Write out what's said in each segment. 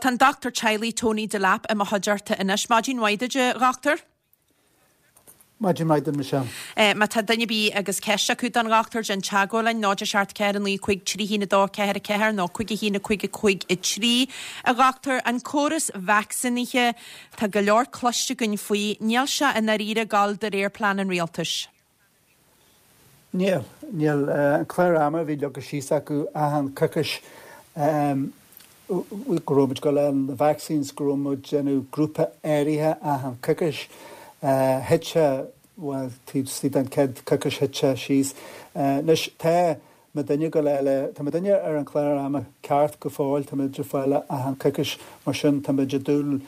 Bhuel, tá an dochtúir teaghlaigh Tony Delap i mo chuideachta anois. Maidin mhaith duit, a dhochtúir. Maidin mhaith duit, Michelle. Má tá duine ar bith agus ceist acu don dhochtúir, déan teagmháil linn, 0 7 4 9 5 3 1 2 4 4 nó 5 1 5 5 3. A dhochtúir, an córas vacsaínithe, tá go leor cloiste againn faoi, níl sé i ndáiríre ag dul de réir plean an rialtais. Níl. Níl. An clár ama a bhí leagtha síos acu achan coicís, go raibh muid ag dul a fháil na vaccines, go raibh muid ag déanamh grúpa áirithe achan coicís, thit sé, bhuel, taobh istigh den chéad coicís thit sé síos. Anois, tá muidinne ag dul a fháil é, tá muidinne ar an chlár ama ceart go fóill, tá muid ag fáil é achan coicís, mar sin tá muid ag dúil,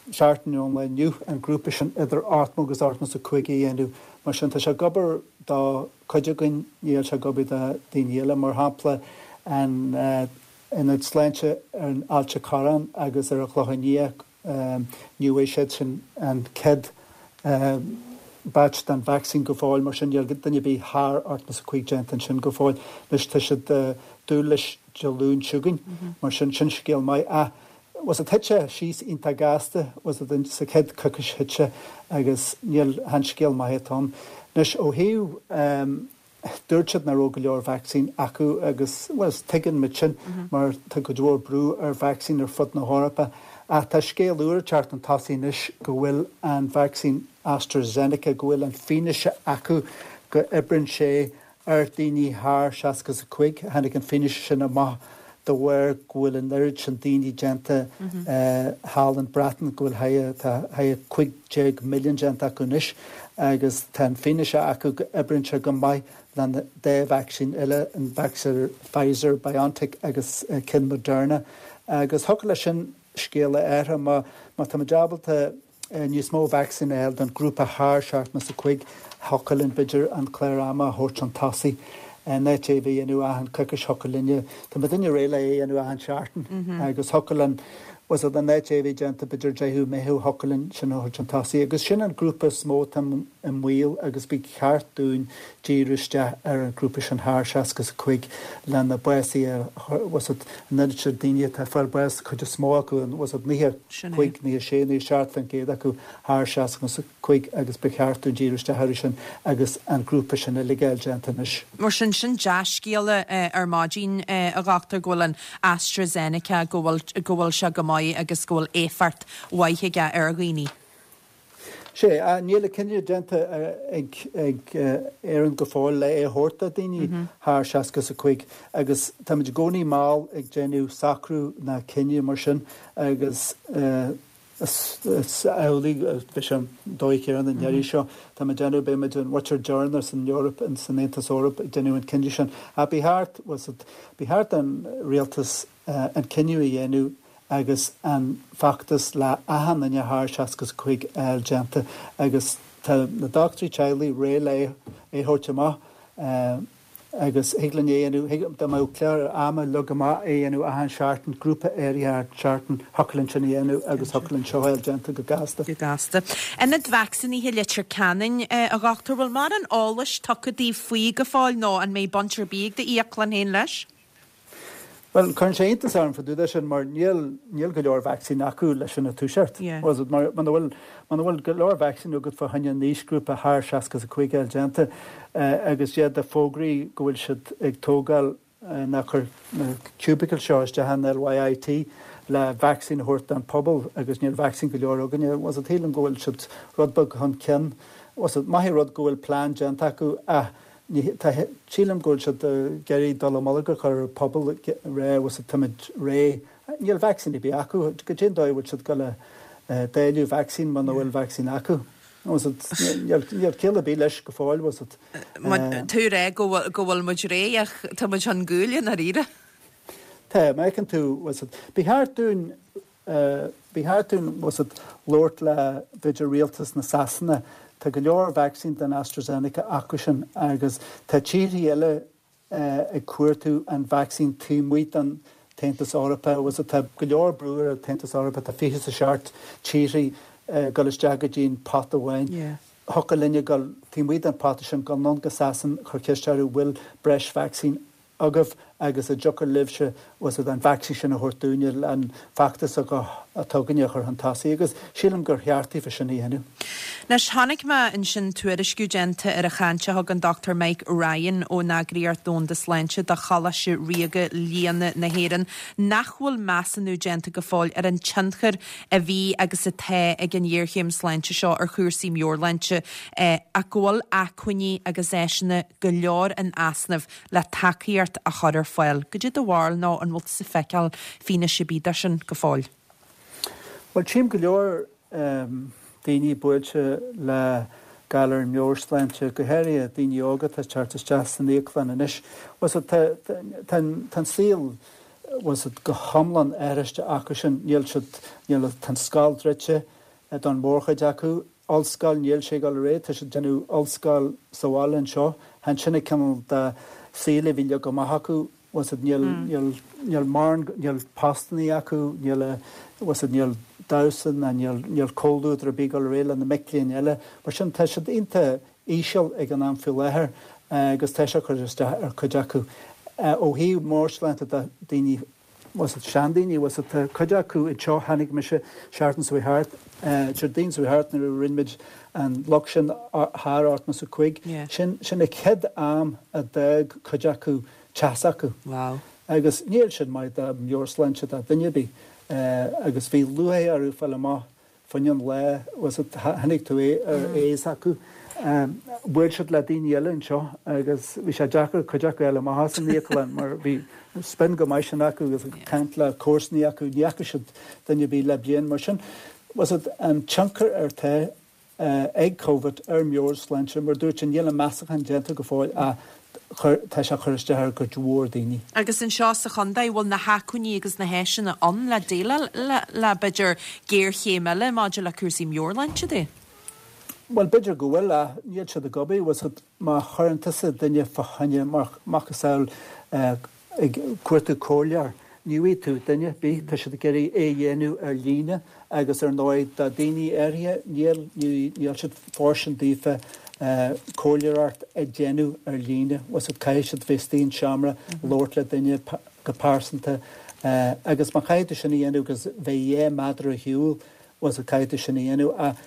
seachtain ón lá inniu an grúpa sin idir 80 agus 85 a dhéanamh. Mar sin, tá sé ag obair do chuid againn, níl sé ag obair do daoine eile. Mar shampla, an Ionad Sláinte ar an Ailt a' Chorráin agus ar an Chlochán Liath, ní bhfuair siad sin an chéad batch den vacsaín go fóill, mar sin níl duine ar bith thar 85 déanta ansin go fóill. Anois tá siad ag dúil leis Dé Luain seo chugainn, mar sin, sin scéal maith. Ach Bhuel thit sé síos iontach gasta, bhuel sa chéad choicís thit sé agus níl, chan scéal maith atá ann. Anois ó thaobh, dúirt siad nach raibh go leor vacsaín acu agus, bhuel, tuigeann muid sin mar tá cuid mhór brú ar vacsaín ar fud na hEorpa ach tá scéal úr ag teacht chun tosaigh anois go bhfuil an vacsaín AstraZeneca, go bhfuil an fianaise acu go oibreann sé Ar daoine thar 65, tháinig an fianaise sin amach de bharr go bhfuil an oiread sin daoine déanta thall an Breatain, go bhfuil tá 15 milliún déanta acu anois agus tá an fianaise acu go oibríonn sé go maith lena dá vacsaín eile, an vacsaín Pfizer BioNTech agus ceann Moderna. Agus thiocfadh leis sin scéal a athrú má táimid ábalta níos mó vacsaín a fháil don ghrúpa thar 75, thiocfadh linn b'fhéidir an clár ama a thabhairt chun tosaigh. In áit é a bheith a dhéanamh achan coicís thiocfadh linne, tá muidinne réidh le é a dhéanamh achan seachtain agus thiocfadh linn, bhuel in áit é a bheith déanta b'fhéidir 10ú Meitheamh thiocfadh linn sin a thabhairt chun tosaigh. Agus sin an grúpa is mó atá i mbaol agus ba cheart dúinn díriú isteach ar an ghrúpa sin thar 65 le na básuithe a chur, bhuel an oiread sin daoine atá ag fáil bás, cuid is mó acu, bhuel 95, 96, 97% acu thar 65 agus ba cheart dúinn díriú isteach orthu sin agus an grúpa sin uilig a fháil déanta anois. Mar sin, sin dea-scéala ar maidin, a dhochtúir, go bhfuil an AstraZeneca, go bhfuil, go bhfuil sé go maith agus go bhfuil éifeacht mhaith aige ar dhaoine. Sea, níl an cinneadh déanta ag Éirinn go fóill le é a thabhairt do daoine thar 65 agus táimid i gcónaí mall ag déanamh socrú ná cinneadh mar sin agus is amhlaidh a bheidh sé an dóigh chéanna an iarraidh seo. Táimid ag déanamh, beidh muid an mhuintir deireanach san Eoraip, san Aontas Eorpach ag déanamh an cinneadh sin. Ach ba cheart, ba cheart don rialtas an cinneadh a dhéanamh agus an feachtas le achan duine thar 65 a fháil déanta agus tá na dochtúirí teaghlaigh réidh le é a thabhairt amach agus thig linn é a dhéanamh, dá mbeadh clár ama leagtha amach é a dhéanamh achan seachtain, grúpa áirithe achan seachtain, thiocfadh linn sin a dhéanamh agus thiocfadh linn seo a fháil déanta go gasta. Go gasta. Ionad vacsaínithe Leitir Ceanainn, a dhochtúir, bhfuil mórán eolais tugtha daoibh faoi go fóill nó an mbeidh baint ar bith ag d'íoclann féin leis? Bhuel, cuireann sé iontas orm fá dtaobh de sin mar níl, níl go leor vacsaín acu leis sin a toiseacht. Bhuel, mar muna bhfuil, muna bhfuil go leor vacsaín agat fá choinne an aoisghrúpa thar 65 a fháil déanta agus iad ag fógraí go bhfuil siad ag tógáil ná cur na cubicles seo isteach in LYIT le vacsaín a thabhairt don phobal agus níl vacsaín go leor againne. Bhuel, sílim go bhfuil siad rud beag chun cinn. Bhuel, maith an rud go bhfuil plean déanta acu ach Ní, tá, sílim go bhfuil siad ag iarraidh dallamullóg a chur ar an pobal ag rá bhuel táimid réidh. Níl vacsaín ar bith acu. Goidé an dóigh a bhfuil siad ag dul a dáileadh vacsaín muna bhfuil vacsaín acu? Bhuel, níl, níl ciall ar bith leis go fóill, bhuel. Tú ag rá go bhfuil, go bhfuil muid réidh ach tá muid chun guaille i ndáiríre. Tá, má fheiceann tú, bhuel, ba cheart dúinn Ba cheart dúinn bhuel labhairt le b'fhéidir rialtas na Sasana. Tá go leor vacsaín den AstraZeneca acu sin agus tá tíorthaí eile ag cuartú an vacsaín taobh amuigh den tAontas Eorpach. Bhuel tá go leor brú ar an tAontas Eorpach, tá 27 tíorthaí ag dul isteach go dtí an pot amháin. Thiocfadh linne dul taobh amuigh den pota sin, dul anonn go Sasain, chur ceist orthu bhfuil breis vacsaín agaibh. agus an dtiocfadh libhse bhfuil fhios agat an vacsaín sin a thabhairt dúinne le an feachtas atá againne a chur chun tosaigh agus sílim gur cheart daofa sin a dhéanamh. Anois, chonaic mé ansin tuairisciú déanta ar an chaint a thug an Dr Mike Ryan ón Eagraíocht Dhomhanda Sláinte do Choláiste Ríoga Lianna na hÉireann nach bhfuil measúnú déanta go fóill ar an tionchar a bhí agus atá ag an ghéarchéim sláinte seo ar chúrsaí meabhairshláinte ach go bhfuil acmhainní agus áiseanna go leor in easnamh le tacaíocht a chur ar fáil. Goidé do bharúil nó an bhfuil tusa ag feiceáil fianaise ar bith de sin go fóill? Bhuel, tchím go leor daoine buailte le galar meabhairshláinte, go háirithe daoine óga atá ag teacht isteach san íoclann anois. Bhfuil fhios agat, tá an saol, bhfuil fhios agat, go hiomlán athraithe acu sin. Níl siad, níl, tá an scoil druidte don mhórchuid acu. Ollscoil, níl sé ag dul ar aghaidh, tá siad ag déanamh ollscoil sa bhaile anseo. Chan sin an cineál de saol a bhí leagtha amach acu, bhfuil fhios agat, níl, níl, níl mórán, níl postannaí acu, níl, bhfuil fhios agat, níl damhsa ná níl, níl comhluadar ar bith ag dul ar aghaidh le na mic léinn eile. Mar sin, tá siad iontach íseal ag an am faoi láthair agus tá sé ag cur isteach ar chuid acu. Ó thaobh meabhairshláinte de, daoine bhfuil fhios agat, seandaoine, bhfuil fhios agat, tá cuid acu anseo, tháinig mise seachtain seo chuaigh thart, Déardaoin seo chuaigh thart nuair a rinne muid an lucht sin thar 85, sin, sin an chéad am a d'fhág cuid acu teach s'acu. Wow. Agus níl sin maith do mheabhairshláinte do dhuine ar bith. Agus bhí lúcháir orthu fáil amach Fá choinne an lae, bhfuil fhios agat, chonaic tú é ar aghaidh s'acu. Bhuail siad le daoine eile anseo agus bhí sé deacair cuid acu a fháil amach as an íoclann mar bhí spion go maith sin acu agus ag caint le comharsanaí acu, ní fhaca siad duine ar bith le bliain. Mar sin, bhfuil fhios agat, an tionchar atá ag Covid ar meabhairshláinte, mar dúirt sé, níl an meastachán déanta go fóill ach chuir, tá sé ag cur isteach ar chuid mhór daoine. Agus anseo sa chontae, bhfuil na hacmhainní agus na háiseanna ann le déileáil le, le b'fhéidir géarchéim eile maidir le cúrsaí meabhairshláinte de? Bhuel, b'fhéidir go bhfuil ach níl siad ag obair, bhfuil fhios agat, má chuireann tusa duine fá choinne, mar macasamhail, ag cuartú comhairleoir. Ní bhfaighidh tú duine ar bith, tá siad ag iarraidh é a dhéanamh ar líne agus ar ndóigh do daoine áirithe níl, níl siad fóirstean daofa comhairleoireacht a dhéanamh ar líne, bhfuil fhios agat, caithfidh siad bheith istigh in seomra, labhairt le duine go pearsanta agus má chaithfidh tú sin a dhéanamh agus bheith 2 méadar ar shiúl, bhfuil fhios agat, caithfidh tú sin a dhéanamh ach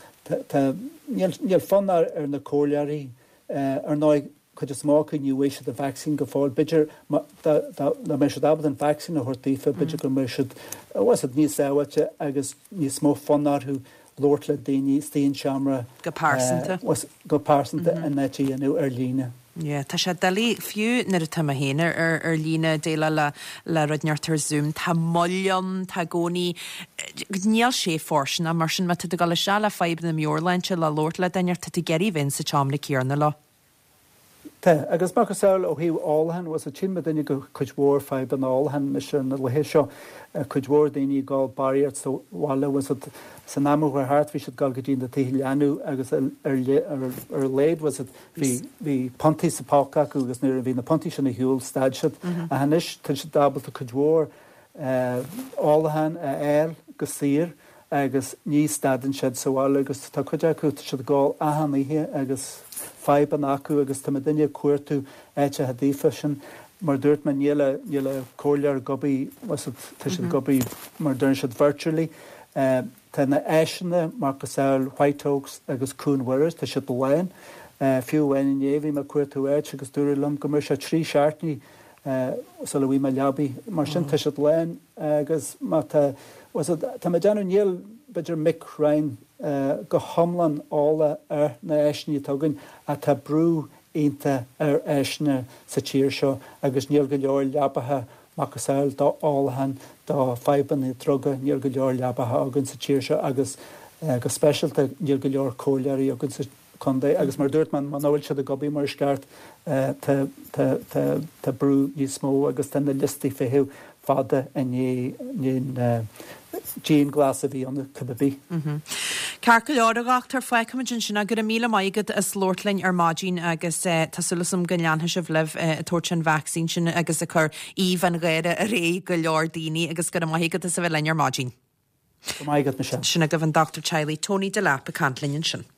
tá, níl, níl fonn ar na comhairleoirí ar ndóigh. Cuid is mó acu ní bhfaighidh siad an vacsaín go fóill. B'fhéidir dá mbeadh siad ábalta an vacsaín a thabhairt daofa, b'fhéidir go mbeadh siad, bhfuil fhios agat, níos sábháilte agus níos mó fonn orthu labhairt le daoine istigh in seomra. Go pearsanta. Go pearsanta in áit a dhéanamh ar líne. Yeah, tá sé doiligh, fiú nuair atá mé féin ar ar líne ag déileáil le le rud inteacht ar Zoom, tá moill ann, tá i gcónaí, níl sé fóirsteanach, mar sin má tá tú ag dul isteach le fadhbanna meabhairshláinte le labhairt le duine, tá tú ag iarraidh bheith sa tseomra céanna leo. Tá, agus macasamhail ó thaobh ólacháin, bhfuil fhios agat, tchíonn muidinne go cuid mhór fadhbanna ólacháin anois ar na laethe seo, cuid mhór daoine ag ól barraíocht sa bhaile, bhfuil fhios agat, san am a chuaigh thart bhí siad ag dul go dtí na tithe leanbh agus ar ar a laghad, bhfuil fhios agat, bhí bhí puntaí sa phóca acu agus nuair a bhí na puntaí sin ar shiúl stad siad. Ach anois tá siad ábalta cuid mhór ólacháin a fháil go saor agus ní stadann siad sa bhaile agus tá cuid acu, tá siad ag ól achan oíche agus fadhbanna acu agus tá muidinne ag cuartú áiteacha daofa sin. Mar a dúirt mé, níl a, níl a comhairleoir ag obair, bhfuil fhios agat, tá siad ag obair mar a deireann siad virtually. Tá na áiseanna macasamhail White Oaks agus Cuan Mhuire, tá siad lán. Fiú amháin inné bhí mé ag cuartú áit agus dúradh liom go mbeadh sé trí seachtainí sula bhfaighidh mé leabaidh. Mar sin tá siad lán agus má tá, bhfuil fhios agat, tá mé ag déanamh, níl b'fhéidir Mick Ryan go hiomlán eolach ar na áiseanna atá againn ach tá brú iontach ar áiseanna sa tír seo agus níl go leor leabacha macasamhail do ólachán, do fadhbanna druga, níl go leor leabacha againn sa tír seo agus go speisialta níl go leor comhairleoirí againn sa contae agus mar a dúirt mé, muna bhfuil siad ag obair mar is ceart, tá brú níos mó agus tá na liostaí feithimh fada i ndiaidh an dianghlas a bhí ann cibé ar bith. Ceart go leor, a dhochtúir, fágfaimid ansin é. Go raibh míle maith agat as labhairt linn ar maidin agus tá súil agam go leanfaidh sibh libh ag tabhairt an vacsaín sin agus ag cur aoibh an gháire ar aghaidh go leor daoine agus go raibh maith agat as a bheith linn ar maidin. Go raibh maith agat, Michelle. Sin agaibh an Dochtúir Teaghlaigh Tony Delap ag caint linn ansin.